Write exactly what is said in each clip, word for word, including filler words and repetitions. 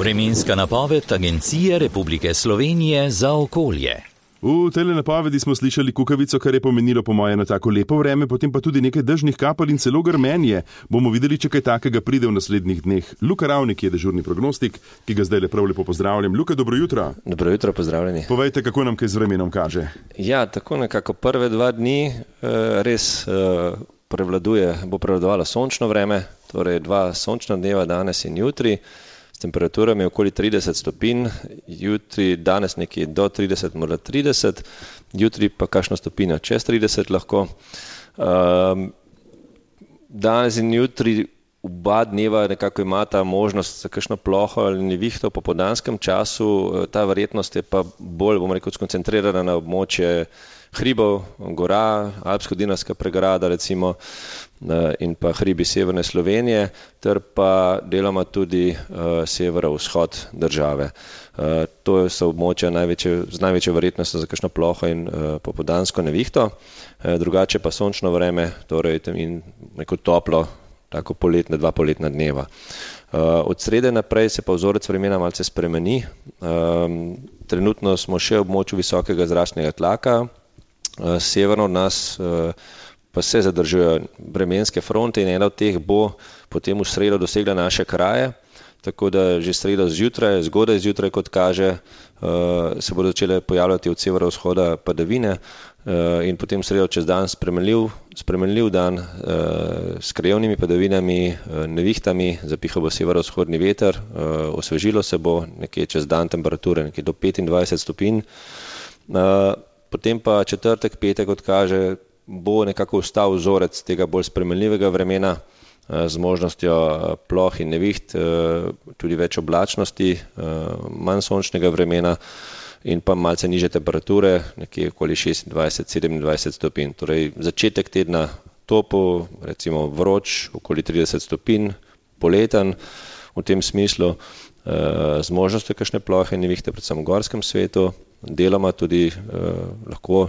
Vremenska napoved Agencije Republike Slovenije za okolje. V tele napovedi smo slišali kukavico, kar je pomenilo po moje na tako lepo vreme, potem pa tudi nekaj dežnih kapelj in celo grmenje. Bomo videli, če kaj takega pride v naslednjih dneh. Luka Ravnik je dežurni prognostik, ki ga zdaj le prav lepo pozdravljam. Luka, dobro jutro. Dobro jutro, pozdravljeni. Povejte, kako nam kaj z vremenom kaže. Ja, tako nekako prve dva dni res prevladuje, bo prevladovalo sončno vreme, torej dva sončna dneva danes in jutri. S temperaturami okoli trideset stopinj, jutri danes nekje do trideset, morda trideset, jutri pa kakšno stopinjo čez trideset lahko. Um, danes in jutri oba dneva nekako imata možnost za kakšno ploho ali nevihto po popoldanskem času, ta verjetnost je pa bolj, bomo rekel, skoncentrirana na območje hribov, gora, Alpsko-Dinarska pregrada recimo in pa hribi severne Slovenije, ter pa deloma tudi uh, severovzhod države. Uh, to so območja največje, z največjo verjetnostjo za kakšno ploho in uh, popoldansko nevihto, uh, drugače pa sončno vreme, torej in neko toplo, tako poletne, dva poletna dneva. Uh, od srede naprej se pa vzorec vremena malce spremeni. Um, trenutno smo še v območju visokega zračnega tlaka, uh, severno od nas uh, pa se zadržujejo vremenske fronte in ena od teh bo potem v sredo dosegla naše kraje, tako da že sredo zjutraj, zgodaj zjutraj, kot kaže, uh, se bodo začele pojavljati od severovzhoda padavine uh, in potem sredo čez dan spremenljiv, spremenljiv dan uh, s krajevnimi padavinami, uh, nevihtami, zapihal bo severovzhodni veter, uh, osvežilo se bo nekje čez dan temperature, nekje do petindvajset stopinj. Uh, potem pa četrtek, petek, kot kaže, bo nekako ostal vzorec tega bolj spremenljivega vremena z možnostjo ploh in neviht, tudi več oblačnosti, manj sončnega vremena in pa malce nižje temperature, nekje okoli šestindvajset, sedemindvajset stopinj. Torej začetek tedna topel, recimo vroč, okoli trideset stopinj, poleten v tem smislu, z možnostjo kakšne plohe in nevihte, predvsem v gorskem svetu, deloma tudi uh, lahko,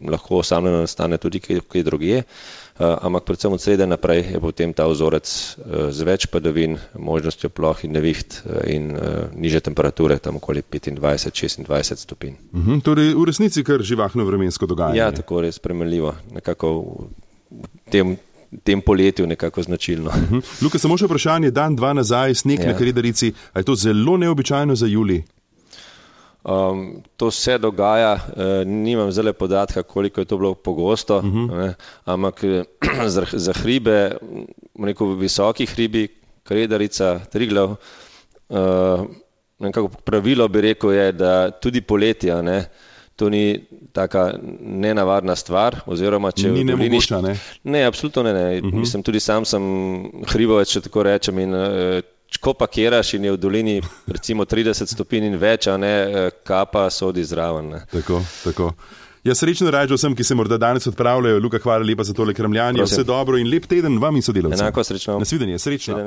lahko osamljeno nastane tudi kje drugje, uh, ampak predvsem od srede naprej je potem ta vzorec uh, z več padavin, možnostjo ploh in neviht uh, in uh, niže temperature, tam okoli petindvajset, šestindvajset stopinj. Mhm, torej v resnici kar živahno vremensko dogajanje. Ja, tako res spremenljivo, nekako v tem tem poletju nekako značilno. Uh-huh. Luka, samo še vprašanje, dan, dva nazaj, sneg ja. na Kredarici, a je to zelo neobičajno za julij? Um, to se dogaja, uh, nimam zdaj podatka, koliko je to bilo pogosto, uh-huh. ne, ampak za, za hribe, rekel, visoki hribi, Kredarica, Triglav, uh, nekako pravilo bi rekel je, da tudi poletja, ne, to ni taka nenavadna stvar, oziroma če... Ni nemogoča, ne? Ne, absolutno ne, ne. Uh-huh. Mislim, tudi sam sem hribovec, če tako rečem, in ko pakiraš in je v dolini recimo trideset stopinj in več, a ne, kapa sodi zraven. Ne. Tako, tako. Ja, srečno rajčo vsem, ki se morda danes odpravljajo. Luka, hvala lepa za tole kramljanje. Vse dobro in lep teden vam in sodelavcem. Enako, srečno. Nasvidenje, srečno.